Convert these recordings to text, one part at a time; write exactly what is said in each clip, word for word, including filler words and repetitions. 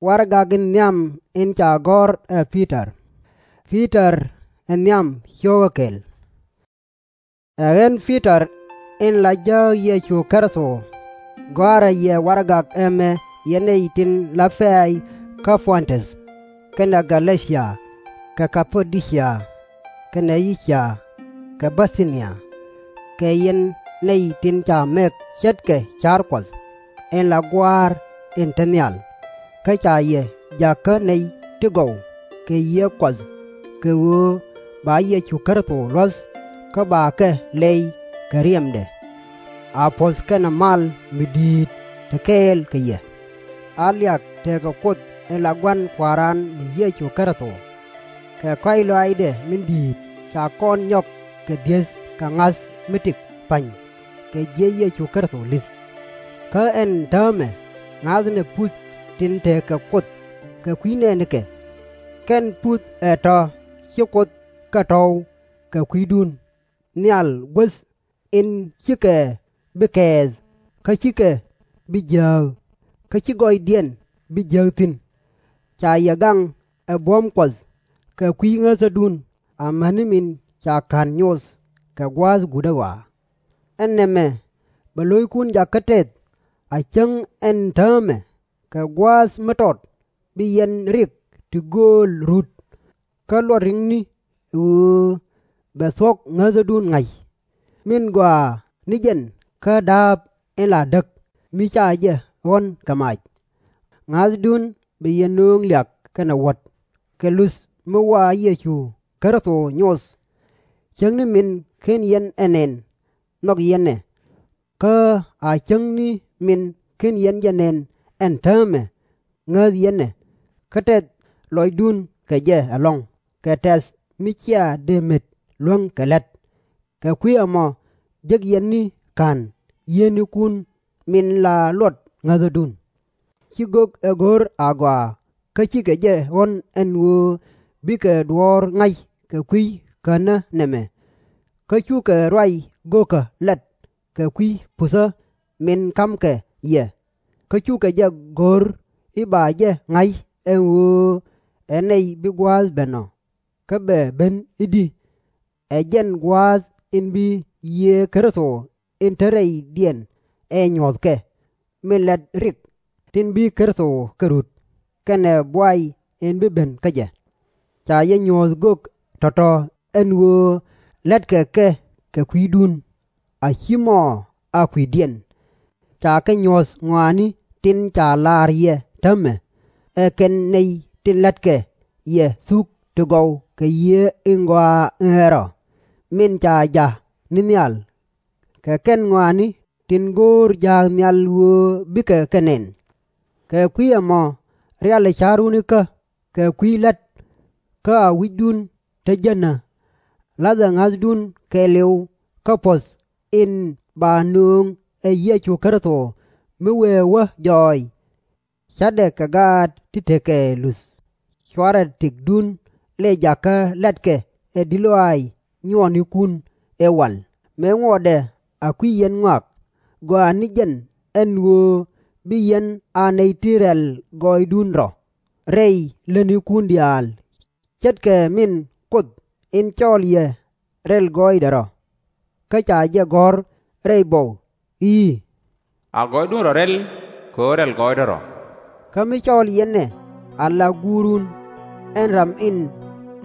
Warɛgak in nhiam in ca gɔ̱r ɛ Pi-tɔr. Pi-tɔr ɛ nhiam cio̱kä kɛl. Ɛ ɣän Pi-tɔr in la jääk Yecu Kritho, gɔ̱a̱rä yɛ warɛgak ɛmɛ yɛn nɛy tin la pɛ̈ɛ̈c kä Puɔ̱ntuth, kɛnɛ Gɛ-lɛ-cia, kɛ Ka-pä-dö-cia, kɛnɛ Yi-cia, kɛ Bi-thi-nia, kɛ yɛn nɛy tin ca mɛk ce̱tkɛ ca̱r Kuɔth in la Gua̱a̱r in te nhial, kä ca yɛ jakä nɛy ti gɔw kɛ Yiëë Kuɔth, kɛ ɣöö ba Yecu Kritho luɔ̱th, kä bakɛ lɛy kɛ riɛmdɛ. A puɔ̱th kɛnɛ mal mi di̱i̱t te kɛɛl kɛ yɛ. A liak tekɛ Kuoth in la Gua̱n Kua̱ran ni Yecu Kritho. Kɛ kɔ̱a̱c lɔaacdɛ min di̱i̱t ca kɔn nyɔk kɛ di̱eth kɛ ŋa̱th mi tëk pa̱ny kɛ jiëc Yecu Kritho li̱th. Kä ɛn täämɛ ŋa̱thnɛ puth tin tekɛ Kuoth kɛ kui̱ nɛɛnikɛ. Kɛn puth ɛ tɔ̱ ci Kuoth kɛ tɔ̱w kɛ kui̱dun nhial guäth in /cikɛ bi kɛɛth, kä /cikɛ bi jiääk, kä /ci gɔɔydiɛn bi jiäk thi̱n. Ca yɛ gaŋ ɛ buɔ̱m Kuɔth kɛ kui̱ ŋäthädun amäni min ca ka̱n nyoth kɛ gua̱a̱th guutdä ɣɔaa. Ɛn nɛmɛ bɛ lo̱ckun jakä tɛth a cäŋ ɛn täämɛ kɛ gua̱a̱th mi tɔt bi yɛn rik ti gööl rut, kä luɔt rikni ɛ ɣöö bɛ thuɔ̱k ŋäthädun ŋa̱c, min gɔaa ni jɛn kä da̱a̱p in la däk mi ca jɛ ɣɔ̱n kɛ mac. Ŋa̱thdun bɛ yɛ nööŋ liak kɛnɛ wuɔ̱t kɛ luth mi wa Yecu Kritho nyoth. Cäŋ ni min /ken yɛn ɛ nɛn nhɔk yɛn ɛ, kä a cäŋ ni min /ken yɛn jɛ nɛn ɛn täämɛ ŋäth yɛn ɛ, kä tɛth lɔcdun kɛ jɛ ɛlɔ̱ŋ kɛ tɛ̈th mi cia dee met luäŋ kɛ la̱t. Kɛ kui̱ ɛmɔ jek yɛn ni ka̱n yieenikun min la luɔt ŋäthädun. Ci gök ɛ go̱r agɔaa kä /cikɛ jɛ ɣɔ̱n ɛn ɣöö bikɛ duɔ̱ɔ̱r ŋa̱c kɛ kui̱ känä nɛmɛ. Kä cukɛ ruac gökä lat kɛ kui̱ puthä min ka̱mkɛ yɛ, kä cukɛ jɛ go̱r i̱ ba jɛ ŋa̱c ɛn ɣöö ɛ nɛy bi gua̱a̱th ben ɔ, kä bɛ ben i̱di? Ɛ jɛn gua̱a̱th in bi Yiëë Kritho in te rɛydiɛn ɛ nyuɔ̱thkɛ, min lät rik tin bi Kritho kɛ rut, kɛnɛ buay in bi ben kä jɛ. Ca jɛ nyuɔ̱th gök tɔ̱tɔ̱ ɛn ɣöö lätkɛ kɛ kɛ kui̱dun, a /ci mɔ a kui̱diɛn. Ca kɛ nyuɔ̱th ŋɔaani tin ca la̱r yɛ täämɛ, ɛ kɛn nɛy tin la̱tkɛ yɛ thuk ti gɔw kɛ Yiëë in Gɔaa in Rɛl Rɔ, min ca ja̱k ni nhial. Kɛ kɛn ŋɔaani tin go̱o̱r ja̱a̱k nhial ɣöö bikɛ kɛ nɛn. Kɛ kui̱ ɛmɔ rialɛ ca̱run ikä kɛ kui̱ la̱t, kä a wi̱cdun te jänä. La̱thɛ ŋa̱thdun kɛɛliw kä puɔ̱th in ba nööŋ ɛ Yecu Kritho mi wëë wä jɔɔc. Ca̱tdɛ kɛ gaat ti tekɛ luth. /Cuarɛ tëkdun lɛ jakä la̱tkɛ ɛ di̱t lɔaac nyuɔɔnikun ëë wal, mëë ŋuɔtdɛ a kui̱ yɛn ŋɔak. Gɔaa ni jɛn ɛn ɣöö bi yɛn a nɛy ti rɛl gɔɔydun rɔ rɛy lätnikun diaal, ce̱tkɛ min Kuoth in cɔɔl yɛ rɛl gɔɔydɛ rɔ. Kä ca jɛ gɔ̱r rɛy buɔk i̱, A gɔɔydun rɔ rɛl kɛ ɣöö rɛl gɔɔydä rɔ. Kä mi cɔɔl yɛn ɛ ala Guurun, ɛn ram in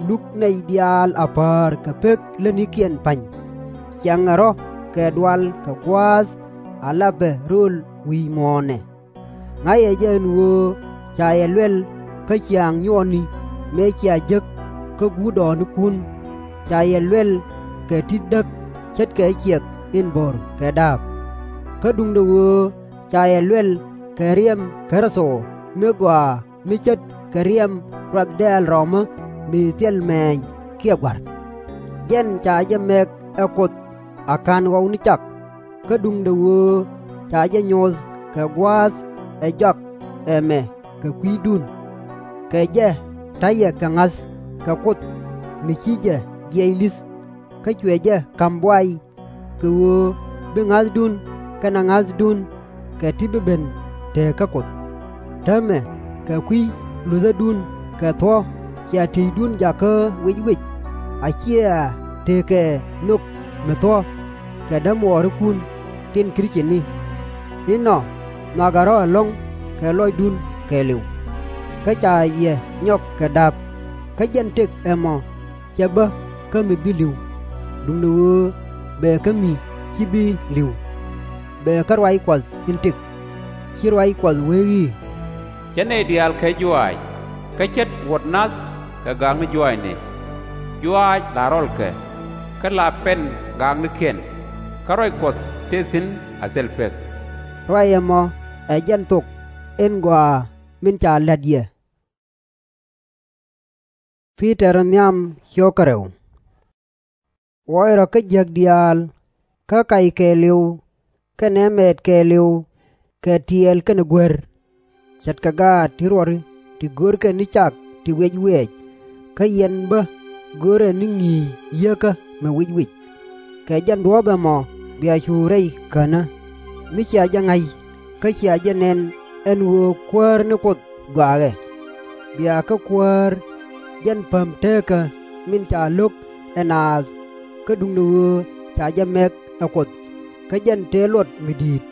luk nɛy diaal a päär kɛ pek lätnikiɛn pa̱ny, ciaŋɛ rɔ̱ kɛ dual kɛ gua̱a̱th ala bɛ rööl wi̱i̱ muɔ̱ɔ̱nɛ. Ŋa̱cɛ jɛ ɛn ɣöö ca yɛ luɛl kä ciaaŋ nyuɔɔni mëë cia jek kä guut dɔɔnikun. Ca yɛ luɛl kɛ ti̱t däk ce̱tkɛ ciɛk in bo̱r kɛ da̱a̱p. Kä duundɛ ɣöö ca yɛ luɛl kɛ riɛm Kritho mi gɔaa mi ce̱tkɛ riɛm ruath dɛ̈ɛ̈l rɔmä mi thil mɛ̈ɛ̈ny kiɛ gua̱r. Jɛn ca jɛ mɛk ɛ Kuoth a ka̱n ɣɔw ni cak, kä duundɛ ɣöö ca jɛ nyoth kɛ gua̱a̱th ɛ jɔak ɛmɛ kɛ kui̱dun. Kɛ jɛ ta̱yɛ kɛ ŋa̱th kɛ Kuoth mi ci jɛ jiɛc li̱th, kä cuɛ jɛ ka̱m buay, kɛ ɣöö bi ŋa̱thdun kɛnɛ ŋa̱thdun kɛ ti bi ben te kä Kuoth. Täämɛ Kɛ kui̱ luthädun kɛ thuɔ̱k cia tieydun jakä wic wic, a cia tekɛ nhök mi thuɔ̱k kɛ dämuɔɔrikun tin Krith-cini. Inɔ nhɔakɛ rɔ̱ ɛlɔ̱ŋ kɛ lɔcdun kɛɛliw. Kä ca yɛ nyɔk kɛ da̱p, kä jɛn tëk ɛmɔ /cɛ bä kä mi bi li̱w, duundɛ ɣöö bëë kä mi /ci bi li̱w, bëë kä ruac Kuɔth in tëk. Ci ruac Kuɔth wee i̱, Ce̱t nɛy diaal kɛ juaac, kä ce̱t wuɔ̱t nath kɛ gaakni juaacni. Juaac la rɔlkɛ, kä la pɛn gaaknikiɛn, kä ruac Kuɔth tëë thi̱n a thil pek. Ruac ɛmɔ ɛ jɛn thok in gɔaa min ca la̱t yɛ. Wuɔc rɔ kä jiäk diaal, kä kac kɛɛliw, kɛnɛ mɛɛt kɛɛliw, kɛ tiɛɛl kɛnɛ guer. Ce̱tkɛ gaat ti ruɔri ti görkɛ ni cak ti wiɛc wiɛɛc, kä yɛn bä görɛ ni ŋi̱i̱c yieekä mi wic wic. Kɛ jɛn duɔ̱ɔ̱p ɛmɔ bia cu rɛy känä, mi cia jɛ ŋa̱c, kä cia jɛ nɛn ɛn ɣöö Kuäär ni Kuoth gɔaaɛ. Bia kä Kuäär jɛn päm teekä min ca lo̱k ɛ naath, kä duundɛ ɣöö ca jɛ mɛk ɛ Kuoth, kä jɛn tëë luɔt mi di̱i̱t.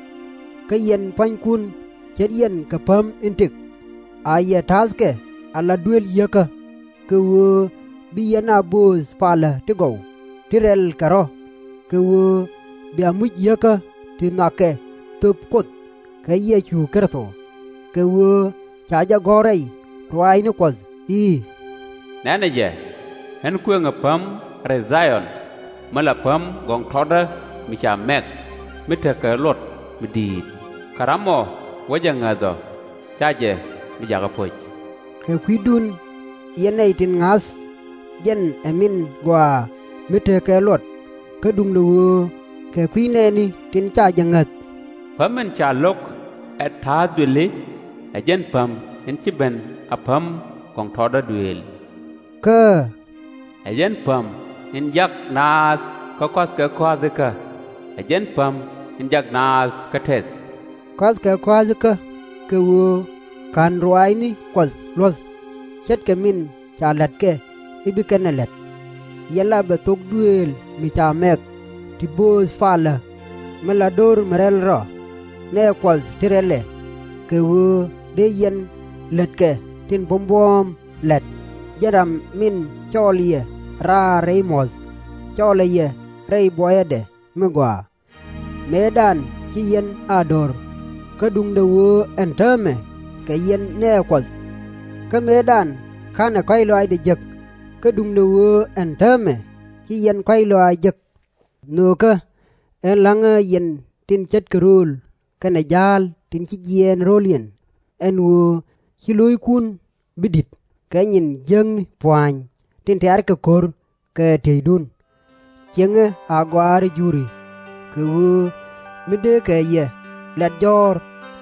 Kä yɛn pua̱nykun, ce̱t yɛn kɛ päm in tëk. A yɛ ta̱thkɛ ala duëël yieekä, kɛ ɣöö bi yɛn a bööth palä ti gɔw, ti rɛl kɛ rɔ̱, kɛ ɣöö bia muc yieekä ti nhɔakɛ thöp Kuoth kɛ Yecu Kritho. Kɛ ɣöö ca jɛ gɔ̱r rɛy ruaacni Kuɔth i̱, Nɛnɛ jɛ, ɣän kuëŋɛ päm rɛy Dha-yɔn, mi la päm gɔŋtɔtdä mi ca mɛk, mi tekɛ luɔt mi di̱i̱t, kä ramɔ wä jɛ ŋäth ɔ, /ca jɛ bi jakä po̱c. Kɛ kui̱dun, yɛn nɛy tin ŋa̱th, jɛn ɛ min gɔaa mi tekɛ luɔt, kä duundɛ ɣöö kɛ kui̱ nɛɛni tin /ca jɛ ŋäth. Päm in ca lo̱k ɛ ta̱a̱th duëli, ɛ jɛn päm in /ci ben a päm gɔŋtɔtdä duëël, kä ɛ jɛn päm in jak naath kä kɔ̱a̱thkɛ kɔ̱a̱thikä, ɛ jɛn päm in jak naath kä tɛth. Kɔ̱a̱thkɛ kɔ̱a̱thikä, kɛ ɣöö /ka̱n ruaacni Kuɔth luɔ̱th, ce̱tkɛ min ca la̱tkɛ i̱ bi kɛn ɛ la̱t. Yɛn la bɛ thok duëël mi ca mɛk, ti bööth palä, mi la do̱r mi rɛl rɔ, nɛɛ Kuɔth ti rɛlɛ, kɛ ɣöö dee yɛn lätkɛ tin buɔ̱m buɔ̱ɔ̱m la̱t, jɛn ram min cɔɔl yɛ raar rɛy muɔ̱th, cɔɔlɛ yɛ rɛy buɔyädɛ mi gɔaa. Mëëdan ci yɛn a do̱r, kä duundɛ ɣöö ɛn täämɛ kɛ yɛn nɛɛ Kuɔth. Kä mëëdan /ka̱nɛ kɔ̱a̱c lɔaacdɛ jek, kä duundɛ ɣöö ɛn täämɛ ci yɛn kɔ̱a̱c lɔaac jek. Nhöökä, ɣän la̱ŋä yɛn tin ce̱tkɛ rööl kɛnɛ ja̱a̱l tin ci jiɛɛn ro̱o̱liɛn, ɛn ɣöö /ci lo̱ckun bi di̱t kɛ nyin jiäkni pua̱a̱ny tin tɛ̈rkɛ ko̱r kɛ tieydun. Ciëŋɛ a gɔaa rɛy Juri, kɛ ɣöö mi dee kɛ yɛ lat jɔ̱ɔ̱r,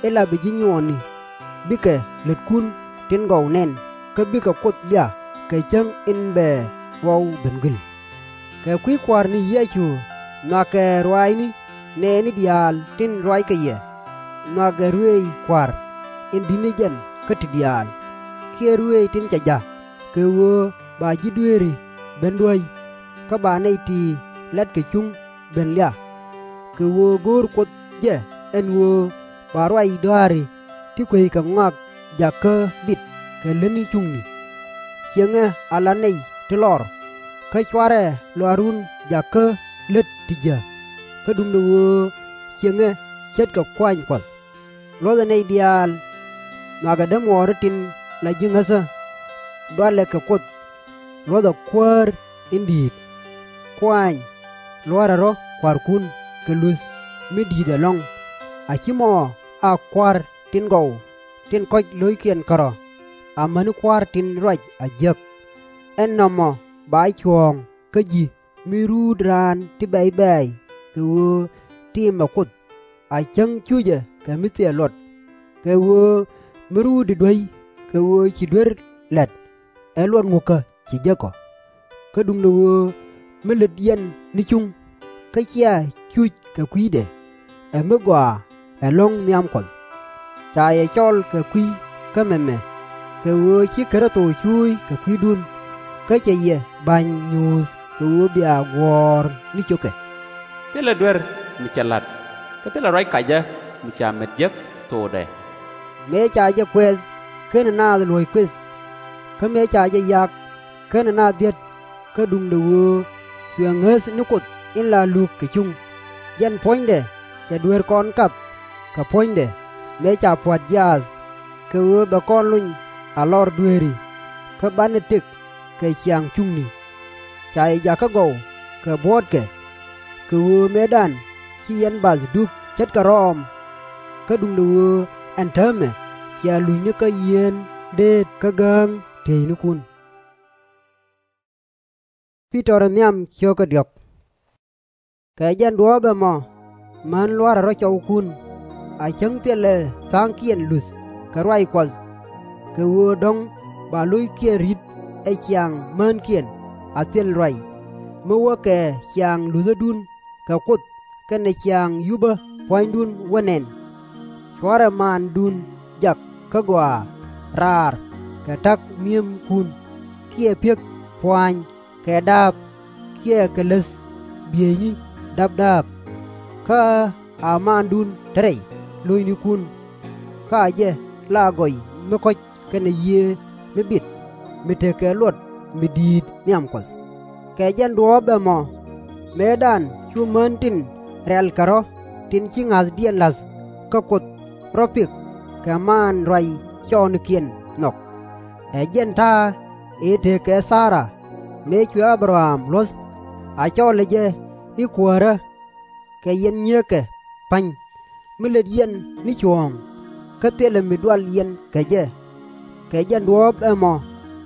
ila bi ji̱ nyuɔɔni bikɛ lätkun tin gɔw nɛn, kä bikɛ Kuoth liak kɛ cäŋ in bɛ ɣɔw ben gui̱l. Kɛ kui̱ Kua̱r ni Yecu nhɔakɛ ruaacni nɛɛni diaal tin ruackɛ yɛ, nhɔakɛ ruëëc Kua̱r in di̱t ni jɛn kä ti diaal, kiɛ ruëëc tin cɛ ja̱k, kɛ ɣöö ba ji̱ dueeri ben duäc, kä ba nɛy ti la̱tkɛ cuŋ ben liak. Kɛ ɣöö go̱o̱r Kuoth jɛ ɛn ɣöö ba ruac dɔa̱a̱ri ti kueckɛ ŋɔak jak kä bit kɛ lätni cuŋni. Ciëŋɛ ala nɛy ti lɔr, kä /cuarɛ lɔaarun jak kä lät ti jiäk, kä duundɛ ɣöö ciëŋɛ ce̱tkɛ kuaany Kuɔth. Luɔ̱thɛ nɛy diaal, nhɔakɛ dämuɔɔri tin la ji̱ ŋäthä. Dualɛ kɛ Kuoth. Luɔ̱thɛ Kuäär in di̱i̱t. Kuaany, lua̱rɛ rɔ̱ kua̱rkun kɛ luth mi di̱i̱t ɛlɔ̱ŋ, a /ci mɔ a kua̱r tin gɔw tin kɔ̱c lo̱ckiɛn kärɔ̱, amäni kua̱r tin ruac a jiäk. Ɛn nɔmɔ ba cuɔ̱ɔ̱ŋ kä ji̱ mi ruut raan ti bɛ̈c bɛ̈ɛ̈c kɛ ɣöö tiimɛ Kuoth, a cäŋ cucɛ kɛ mi thil luɔt. Kɛ ɣöö mi ruutdi duäc kɛ ɣöö ci duer la̱t, ɛ luɔt ŋukä ci jek ɔ? Kä duundɛ ɣöö mi lät yɛn ni cuŋ, kä /cia cuc kɛ kui̱dɛ, ɛ mi gɔaa ɛlɔ̱ŋ nhiam Kuɔth. Ca yɛ cɔl kɛ kui̱ kä mɛmɛ, kɛ ɣöö ci Kritho cuuc kɛ kui̱dun, kä cɛ yɛ ba̱ny nyuuth kɛ ɣöö bia guɔ̱ɔ̱r ni cukɛ. Thilɛ duer mi cɛ la̱t, kä thilɛ ruac kacä mi ca met jek thokdɛ. Mëë ca jɛ kuɛth /kenɛ naath luɔ̱c kuëth, kä mëë ca jɛ yak /kenɛ naath dhiät, kä duundɛ ɣöö cuɛ ŋäth ni Kuoth in la luk kɛ cuŋ, jɛn puɔ̱nydɛ cɛ dueer kɔn kap kɛ puɔ̱nydɛ, mëë ca pua̱t jiaath, kɛ ɣöö bɛ kɔn lony a lɔr dueeri, kä banɛ tëk kɛ ciaŋ cuŋni. Ca yɛ jakä gɔw kɛ buɔ̱ɔ̱tkɛ, kɛ ɣöö mëëdan ci yɛn bath dup ce̱tkɛ rɔɔm, kä duundɛ ɣöö ɛn täämɛ cia luny ni kä yieen deet kä gääŋ tieynikun. Kɛ jɛn duɔ̱ɔ̱p ɛmɔ, män lua̱rɛ rɔ̱ cɔwkun, a cäŋ thilɛ tha̱a̱ŋkiɛn luth kɛ ruac Kuɔth, kɛ ɣöö dɔ̱ŋ ba lo̱ckiɛn ri̱t ɛ ciaŋ mänkiɛn a thil ruac, mi wäkɛ ciaŋ luthädun kɛ Kuoth kɛnɛ ciaŋ yupä pua̱nydun wä nɛn. Cuarɛ maandun jak kä gɔaa raar kɛ ta̱k mi̱emkun, kiɛ pi̱ek pua̱a̱ny kɛ da̱a̱p, kiɛ kɛ läth bieyni dapdäp. Kä a maandun te rɛy lo̱cnikun, kä a jɛ la gɔy mi kɔ̱c kɛnɛ yiëë mi bit, mi tekɛ luɔt mi di̱i̱t nhiam Kuɔth. Kɛ jɛn duɔ̱ɔ̱p ɛmɔ, mëëdan cu män tin rɛ̈lkɛ rɔ̱ tin ci ŋa̱thdiɛn la̱th kä Kuoth rɔ̱ pik kɛ maan ruac cɔɔnikiɛn nhɔk. Ɛ jɛn ta̱a̱ ëë tëëkɛ Thara, mëë cuɛ A-bɛ-ram luɔ̱th, a cɔlɛ jɛ i̱ Kuäärä, kɛ yɛn nyieekɛ pa̱ny, mi lät yɛn ni cuɔ̱ɔ̱ŋ, kä thilɛ mi dual yɛn kɛ jɛ. Kɛ jɛn duɔ̱ɔ̱p ɛmɔ,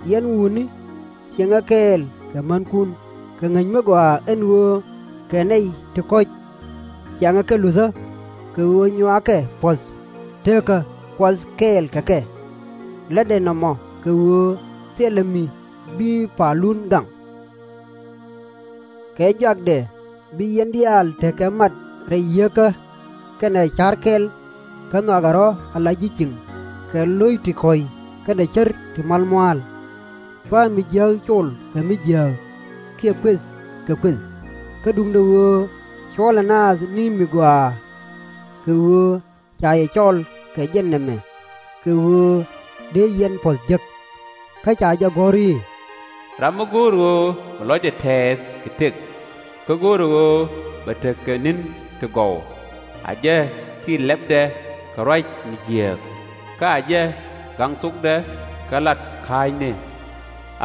yɛn wutni, ciɛŋɛ kɛɛl kɛ mänkun kɛ ŋäc mi gɔaa, ɛn ɣöö kɛ nɛy ti kɔ̱c ciaŋɛ kɛ luthä, kɛ ɣöö nyuakɛ puɔ̱th, teekä Kuɔth kɛɛl kɛ kɛ. Lätdɛ nɔmɔ kɛ ɣöö thilɛ mi bi palun gaŋ. Kɛ jɔakdɛ bi yɛn diaal tekɛ mat rɛy yieekä kɛnɛ ca̱r kɛl, kä nhɔakɛ rɔ̱ ala ji̱ cieŋ kɛ lo̱c ti kɔ̱c kɛnɛ cär ti mualmua̱a̱l. /Cuarɛ mi jiääk col kɛ mi jiääk, kiɛ kuëth kɛ kuëth, kä duundɛ ɣöö cuɔlɛ naath ni mi gɔaa, kɛ ɣöö ca yɛ cɔl kɛ jɛn nɛmɛ, kɛ ɣöö dee yɛn puɔ̱th jek. Kä ca jɛ gɔ̱r i̱, Ram mi go̱o̱r ɣöö bɛ lɔcdɛ tɛɛth kɛ tëk, kä go̱o̱rɛ ɣöö bɛ tekɛ ni̱n ti gɔw, a jɛ tiit lɛpdɛ kɛ ruac mi jiääk, kä a jɛ gaŋ thokdɛ kɛ lat ka̱a̱cni.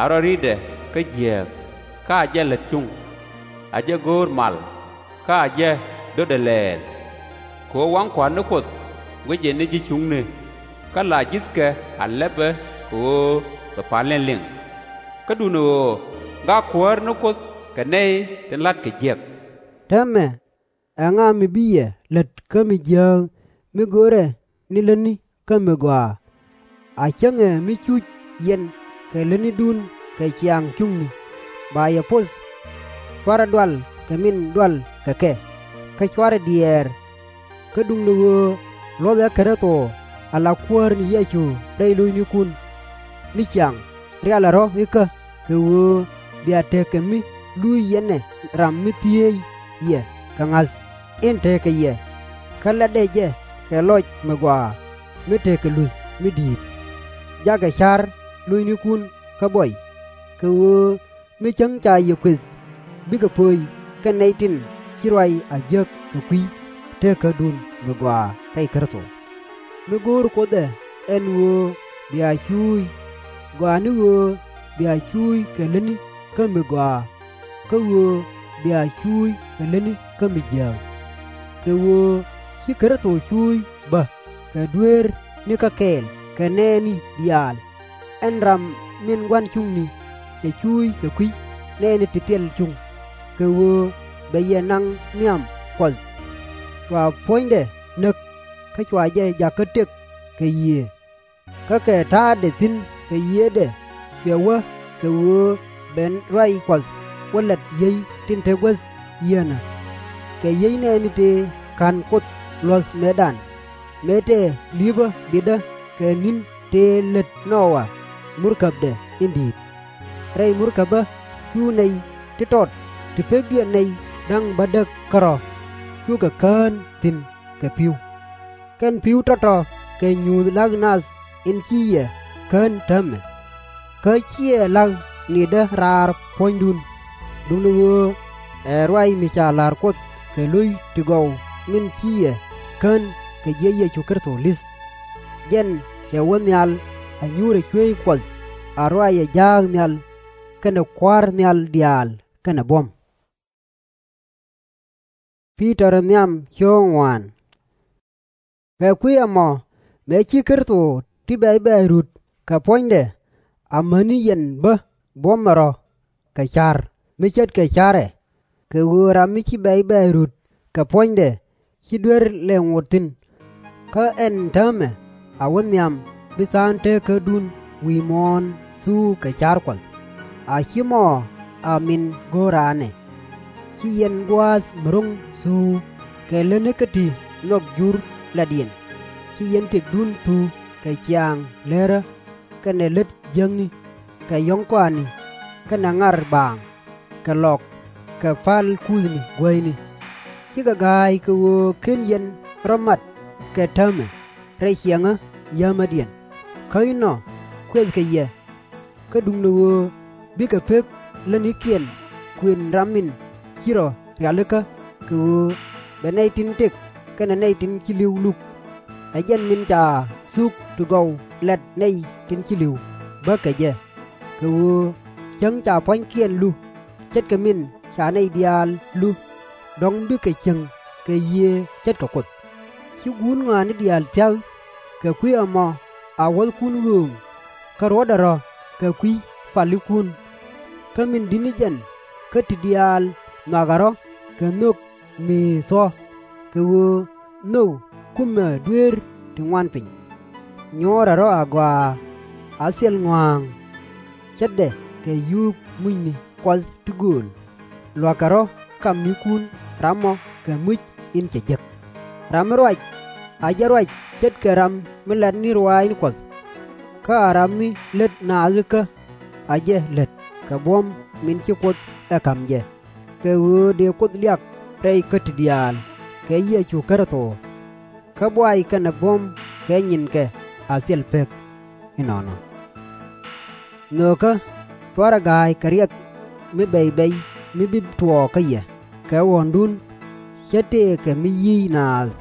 A rɔ ri̱tdɛ kä jiääk, kä a jɛ lät cuŋ. A jɛ go̱o̱r mal, kä a jɛ dötdɛ lɛɛl. Kɛ ɣöö waŋ Kua̱r ni Kuoth guicɛ ni ji̱ cuŋni, kä la ji̱thkɛ a lɛpɛ kɛ ɣöö bɛ palni liŋ. Kä duundɛ ɣöö gak Kuäär ni Kuoth kɛ nɛy tin la̱tkɛ jiäk. Täämɛ, ɛŋa mi bi yɛ lät kä mi jiääk mi görɛ ni lätni kä mi gɔaa? A cäŋɛ mi cuc yɛn kɛ lätnidun kɛ ciaŋ cuŋni, ba yɛ poth /cuarɛ dual kɛ min dual kɛ kɛ, kä /cuarɛ diɛɛr. Kä duundɛ ɣöö luɔ̱thɛ Kritho ala Kuäär ni Yecu rɛy lo̱cnikun. Ni ciaŋ rialɛ rɔ̱ ikä, kɛ ɣöö bia tekɛ mi luc yɛn ɛ ram mi thiec yɛ kɛ ŋa̱th in tekɛ yɛ, kä latdɛ jɛ kɛ lɔc mi gɔaa mi tekɛ luth mi di̱i̱t. Jakɛ ca̱r lo̱cnikun kä buɔy, kɛ ɣöö mi cäŋ ca yɛ kuëth bikɛ pöc kɛn nɛy tin ci ruac a jiäk kɛ kui̱ teekädun mi gɔaa rɛy Kritho. Mi go̱o̱r Kuoth ɛ ɛn ɣöö bia cuuc, gɔaa ni ɣöö bia cuuc kɛ lätni kä mi gɔaa, kä ɣöö bia cuuc kɛ lätni kä mi jiääk. Kɛ ɣöö ci Kritho cuuc bä kɛ dueerni kä kɛɛl kɛ nɛɛni diaal, ɛn ram min gua̱n cuŋni cɛ cuuc kɛ kui̱ nɛɛni ti thil cuŋ, kɛ ɣöö bɛ yɛ naŋ nhiam Kuɔth. Cua puɔ̱nydɛ näk, kä cua jɛ jakä tëk kɛ yiëë. Kä kɛ ta̱a̱dɛ thi̱n kɛ yiëëdɛ cuɛ wä kɛ ɣöö ben ruac Kuɔth wä lät yiey tin te guäth yieenä, kɛ yiey nɛɛni tëë ka̱n Kuoth luɔ̱th mëëdan, mëë tëë li̱pä bitdä kɛ ni̱n tëë lät Nowa murkäbdɛ in di̱i̱t. Rɛy murkäbä cu nɛy ti tɔt ti pekdiɛn nɛy da̱ŋ bädäk kärɔ̱ cukɛ kään thi̱n kɛ pi̱w. Kɛn pi̱w tɔ̱tɔ̱ kɛ nyuuth la̱k nath in ci yɛ kään täämɛ. Kä /ciɛ la̱k nitdä raar puɔ̱nydun, duundɛ ɣöö ɛ ruac mi ca la̱r Kuoth kɛ lo̱c ti gɔw min ci yɛ kään kɛ jiëc Yecu Kritho li̱th. Jɛn cɛ wä nhial a nyuurɛ cueec Kuɔth, a ruacɛ ja̱a̱k nhial kɛnɛ kua̱r nhial diaal kɛnɛ buɔ̱m. Kɛ kui̱ ɛmɔ, mëë ci Kritho ti bɛ̈c bɛ̈ɛ̈c rut kɛ puɔ̱nydɛ, amäni yɛn bä buɔ̱mɛ rɔ̱ kɛ ca̱r mi ce̱tkɛ ca̱rɛ, kɛ ɣöö ram mi ci bɛ̈c bɛ̈ɛ̈c rut kɛ puɔ̱nydɛ /ci duer lɛ ŋot thi̱n. Kä ɛn täämɛ a wä nhiam bi tha̱a̱ŋ teekädun wi̱i̱ muɔ̱ɔ̱n thuk kɛ ca̱r Kuɔth. A /ci mɔ a min go̱o̱r raan ɛ. Ci yɛn gua̱a̱th mi ro̱ŋ thuk kɛ lätni kä ti nhɔk Jur lätdiɛn. Ci yɛn tëkdun thuk kɛ ciaaŋ leerä kɛnɛ lät jiäkni, kɛ yɔ̱ŋ kɔaani, kɛnɛ ŋar baaŋ, kɛ lɔk, kɛ pa̱l kuthni guäyni. Cikɛ ga̱a̱c kɛ ɣöö /ken yɛn rɔ̱ mat kɛ täämɛ rɛy ciɛŋä yäämädiɛn. Kä inɔ kuɛthkɛ yɛ. Kä duundɛ ɣöö bikɛ pek lätnikiɛn kuën ram min ci rɔ̱ rialikä kɛ ɣöö bɛ nɛy tin tëk kɛnɛ nɛy tin ci li̱w luk. Ɛ jɛn min ca thuk ti gɔw lat nɛy tin ci li̱w bä kɛ jɛ, kɛ ɣöö cäŋ ca pua̱nykiɛn lu ce̱tkɛ min ca nɛy diaal lu, dɔ̱ŋ bikɛ cieŋ kɛ Yiëë ce̱tkɛ Kuoth. Ci guut ŋɔaani diaal thia̱k. Kɛ kui̱ ɛmɔ a wuɔ̱thkun ɣööŋ, kä ruɔ̱tdɛ rɔ̱ kɛ kui̱ palikun. Kä min di̱t ni jɛn kä ti diaal nhɔakɛ rɔ̱ kɛ nhök mi thuɔ̱k, kɛ ɣöö nhök kumɛ dueer ti ŋuan piny. Nyuɔ̱ɔ̱rɛ rɔ̱ agɔaa, a thil ŋɔa̱a̱ŋ, ce̱tdɛ kɛ yuup mucni Kuɔth ti gööl. Lua̱kɛ rɔ̱ kamnikun ram ɔ kɛ muc in cɛ jek. Ram mi ruac a jɛ ruac ce̱tkɛ ram mi lat ni ruaacni Kuɔth. Kä a ram mi lät naath ikä a jɛ lät kɛ buɔ̱m min ci Kuoth ɛ ka̱m jɛ, kɛ ɣöö dëë Kuoth liak rɛy kä ti diaal kɛ Yecu Kritho. Kä buay kɛnɛ buɔ̱m kɛ nyinkɛ a thil pek. Inɔnɔ nhökä, cuarɛ ga̱a̱c kɛ riɛk mi bɛc bɛc mi bi tuɔɔk kä yɛ kɛ ɣɔ̱ndun, ce̱t tëëkɛ mi yi̱i̱c naath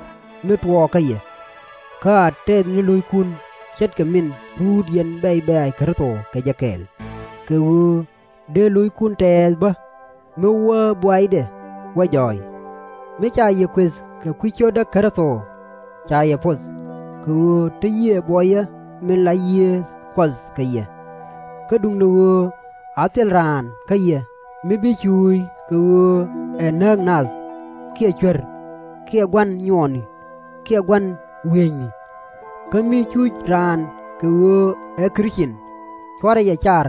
mi tuɔɔk kä yɛ. Kä a tɛth ni lo̱ckun ce̱tkɛ min ruut yɛn bɛc bɛ̈ɛ̈c Kritho kɛ jɛ kɛɛl, kɛ ɣöö dee lo̱ckun tɛɛth bä mi wä buaydɛ wä jɔɔc. Mi ca yɛ kuëth kɛ kui̱ ciötdä Kritho, ca yɛ poth, kɛ ɣöö te Yiëë buɔyä min la Yiëë Kuɔth kɛ yɛ. Kä duundɛ ɣöö a thil raan kä yɛ mi bi cuuc kɛ ɣöö ɛ nääk nath, kiɛ cuer, kiɛ gua̱n nyuɔɔni, kiɛ gua̱n wiëëcni. Kä mi cuc raan kɛ ɣöö ɛ Krith-cin, cuarɛ jɛ car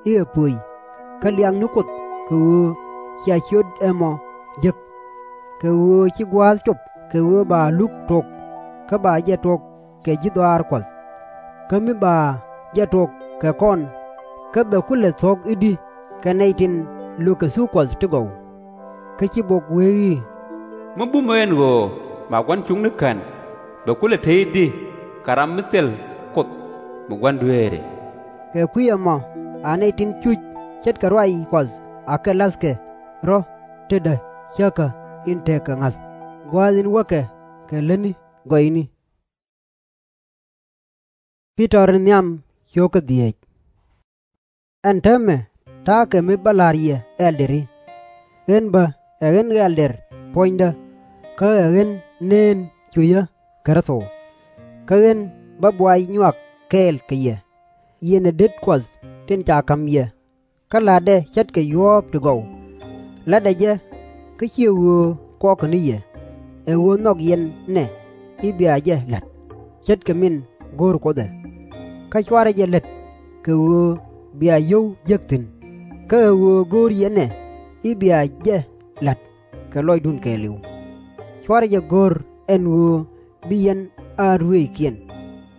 i̱ ɛ pöc, kä liak ni Kuoth kɛ ɣöö cia ciöt ɛmɔ jek. Kɛ ɣöö ci gua̱a̱th cop kɛ ɣöö ba luk tok, kä ba jɛ tok kɛ ji̱ dhɔaar Kuɔth. Kä mi ba jɛ tok kɛ kɔn, kä bɛ kulɛ thuɔ̱k i̱di kɛ nɛy tin lökɛ thuk Kuɔth ti gɔw? Kä ci bok wee i̱, Mi bumä ɛn ɣöö ba gua̱n cuŋni kän, bɛ kulɛ te i̱di kɛ ram mi thil Kuoth mi gua̱n dueeri? Kɛ kui̱ ɛmɔ a nɛy tin cuc ce̱tkɛ ruac Kuɔth akɛ la̱thkɛ rɔ̱ tetdä cäkä in tekɛ ŋa̱th, gua̱a̱th in wäkɛ kɛ lätni gɔyni. Ɛn täämɛ ta̱a̱ kɛ mi bä la̱r yɛ ɛldɛri. Ɣän bä ɛ ɣän ɛldɛr puɔ̱nydä, kä ɛ ɣän neen cucä Kritho. Kä ɣän bä buay nyuak kɛɛl kɛ yɛ, yɛn ɛ det Kuɔth tin ca ka̱m yɛ, kä la̱tdɛ ce̱tkɛ yuɔ̱ɔ̱p ti gɔw. La̱tdɛ jɛ kä /ciɛ ɣöö kuɔkɛ ni yɛ, ɛ ɣöö nhɔk yɛn nɛ i̱ bia jɛ la̱t, ce̱tkɛ min go̱o̱r Kuoth ɛ. Kä cuarɛ jɛ lät kɛ ɣöö bia yio̱w jek thi̱n, kä ɛ ɣöö go̱o̱r yɛn ɛ i̱ bia jɛ la̱t kɛ lɔcdun kɛɛliw. Cuarɛ jɛ go̱r ɛn ɣöö bi yɛn a ruëëckiɛn,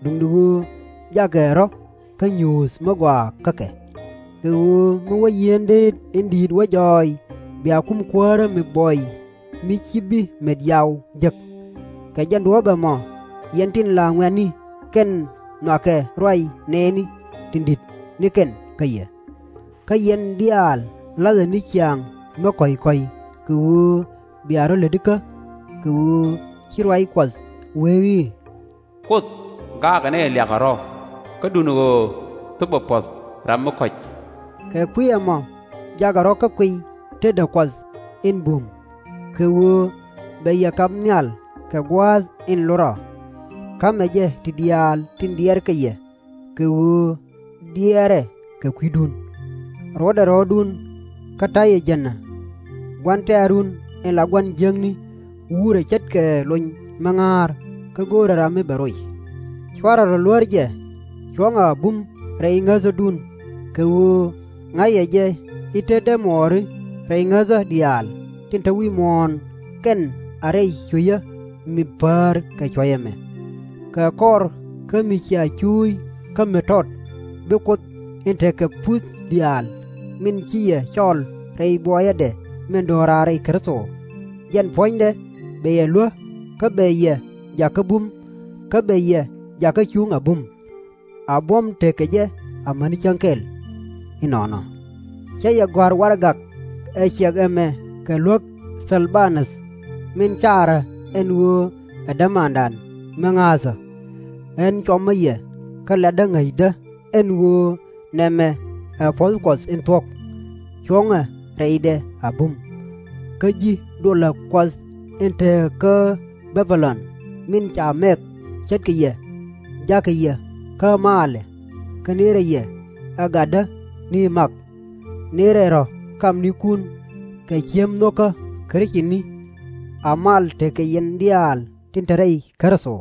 duundɛ ɣöö jakɛ rɔ̱ kä nyuuth mi gɔaa kä kɛ. Kɛ ɣöö mi wä yieen deet in di̱i̱t wä jɔɔy, bia kum kuäärä mi buɔy mi /ci bi met yau jek. Kɛ jɛn duɔ̱ɔ̱p ɛmɔ, yɛn tin la ŋuɛ̈tni, kɛn nhɔakɛ ruac nɛɛni tin di̱t ni kɛn kä yɛ. Kä yɛn diaal la̱thɛ ni ciaŋ mi kɔ̱c kɔ̱c, kɛ ɣöö bia rɔ̱ lätdikä. Kɛ ɣöö ci ruac Kuɔth wee i̱, Kuoth gaakɛ nɛy liakɛ rɔ̱, kä duundɛ ɣöö thöpɛ puɔ̱th ram mi kɔ̱c. Kɛ kui̱ ɛmɔ jakɛ rɔ̱ kä kuiy tetdä Kuɔth in bum, kɛ ɣöö bɛ yɛ kap nhial kɛ gua̱a̱th in lot rɔ. Ka̱mɛ jɛ ti diaal tin diɛɛr kɛ yɛ, kɛ ɣöö diɛɛrɛ kɛ kui̱dun. Ruɔ̱tdɛ rɔ̱ɔ̱dun kä ta̱yɛ jänä. Gua̱n tɛ̈run in la gua̱n jiäkni wuurɛ ce̱tkɛ lony mi ŋa̱a̱r, kä go̱o̱rɛ ram mi bɛ roc. /Cuarɛ rɔ̱ luär jɛ, cuɔ̱ŋɛ a bum rɛy ŋäthädun, kɛ ɣöö ŋa̱cɛ jɛ i̱ tetdä muɔɔri rɛy ŋäthä diaal tin te wi̱i̱ muɔ̱ɔ̱n, kɛn a rɛy cucä mi päär kɛ cuɔ̱c ɛmɛ. Kɛ kɔr kä mi cia cuuc kä mi tɔt, bi Kuoth in tekɛ puth diaal min ci yɛ cɔl rɛy buɔyädɛ min do̱raar rɛy Kritho, jɛn puɔ̱nydɛ bɛ yɛ luäk kä bɛ yɛ jakä bum, kä bɛ yɛ jakä cuŋ a bum. A buɔ̱m tekɛ jɛ amäni cäŋ kɛl. Inɔnɔ. Cä yɛ gɔ̱a̱r warɛgak ɛ ciɛk ɛmɛ kɛ luäk Thil-ba-näth, min caarä ɛn ɣöö ɛ dämandan mi ŋa̱a̱thä. Ɣän cuɔmä yɛ kä latdä ŋäcdä ɛn ɣöö nɛmɛ ɛ puɔ̱th Kuɔth in thuɔ̱k. Cuɔ̱ŋɛ rɛydɛ a bum. Kä ji̱ duɔlä Kuɔth in te kä Bɛ̈-bi-lɔn min ca mɛk ce̱tkɛ yɛ, ja̱kɛ yɛ kä maalɛ, kä nëërɛ yɛ ɛ gatdä ni mak. Nëërɛ rɔ̱ kamnikun kɛ cieŋ nho̱kä Kritini. A mal tekɛ yɛn diaal tin te rɛy Kritho.